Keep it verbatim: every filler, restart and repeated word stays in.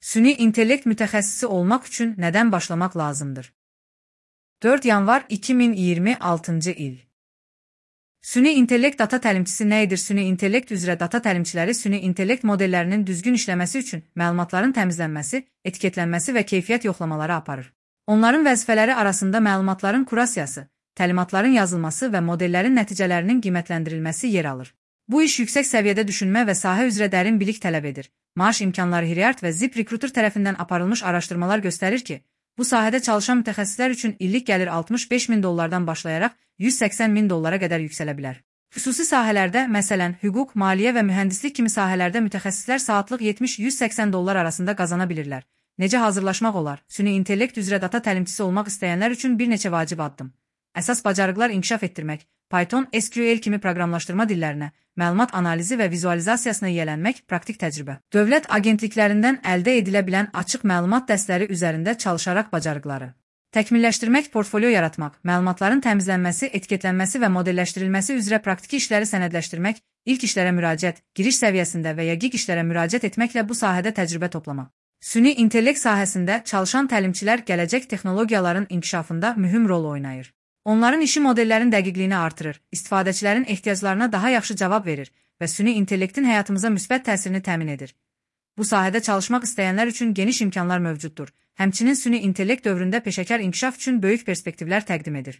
Süni intellekt mütəxəssisi olmaq üçün nədən başlamaq lazımdır? dörd yanvar iki min iyirmi altıncı il. Süni intellekt data təlimçisi nə edir? Süni intellekt üzrə data təlimçiləri süni intellekt modellərinin düzgün işləməsi üçün məlumatların təmizlənməsi, etiketlənməsi və keyfiyyət yoxlamaları aparır. Onların vəzifələri arasında məlumatların kurasiyası, təlimatların yazılması və modellərin nəticələrinin qiymətləndirilməsi yer alır. Bu iş yüksək səviyyədə düşünmə və sahə üzrə dərin bilik tələb edir. Maaş imkanları Hiryard və ZipRecruiter tərəfindən aparılmış araşdırmalar göstərir ki, bu sahədə çalışan mütəxəssislər üçün illik gəlir altmış beş min dollardan başlayaraq yüz səksən min dollara qədər yüksələ bilər. Xüsusi sahələrdə, məsələn, hüquq, maliyyə və mühəndislik kimi sahələrdə mütəxəssislər saatlıq yetmiş yüz səksən dollar arasında qazana bilirlər. Necə hazırlaşmaq olar? Süni intellekt üzrə data təlimçisi olmaq istəyənlər üçün bir neçə vacib addım. Əsas bacarıqlar inkişaf etdirmək, Python, S Q L kimi proqramlaşdırma dillərinə, məlumat analizi və vizualizasiyasına yiyələnmək, praktik təcrübə. Dövlət agentliklərindən əldə edilə bilən açıq məlumat dəstləri üzərində çalışaraq bacarıqları. Təkmilləşdirmək, portfolio yaratmaq, məlumatların təmizlənməsi, etiketlənməsi və modelləşdirilməsi üzrə praktiki işləri sənədləşdirmək, ilk işlərə müraciət, giriş səviyyəsində və ya gig işlərə müraciət etməklə bu sahədə təcrübə toplamaq. Süni intellekt sahəsində çalışan təlimçilər gələcək texnologiyaların inkişafında mühüm rol oynayır. Onların işi modellərin dəqiqliyini artırır, istifadəçilərin ehtiyaclarına daha yaxşı cavab verir və süni intellektin həyatımıza müsbət təsirini təmin edir. Bu sahədə çalışmaq istəyənlər üçün geniş imkanlar mövcuddur. Həmçinin süni intellekt dövründə peşəkar inkişaf üçün böyük perspektivlər təqdim edir.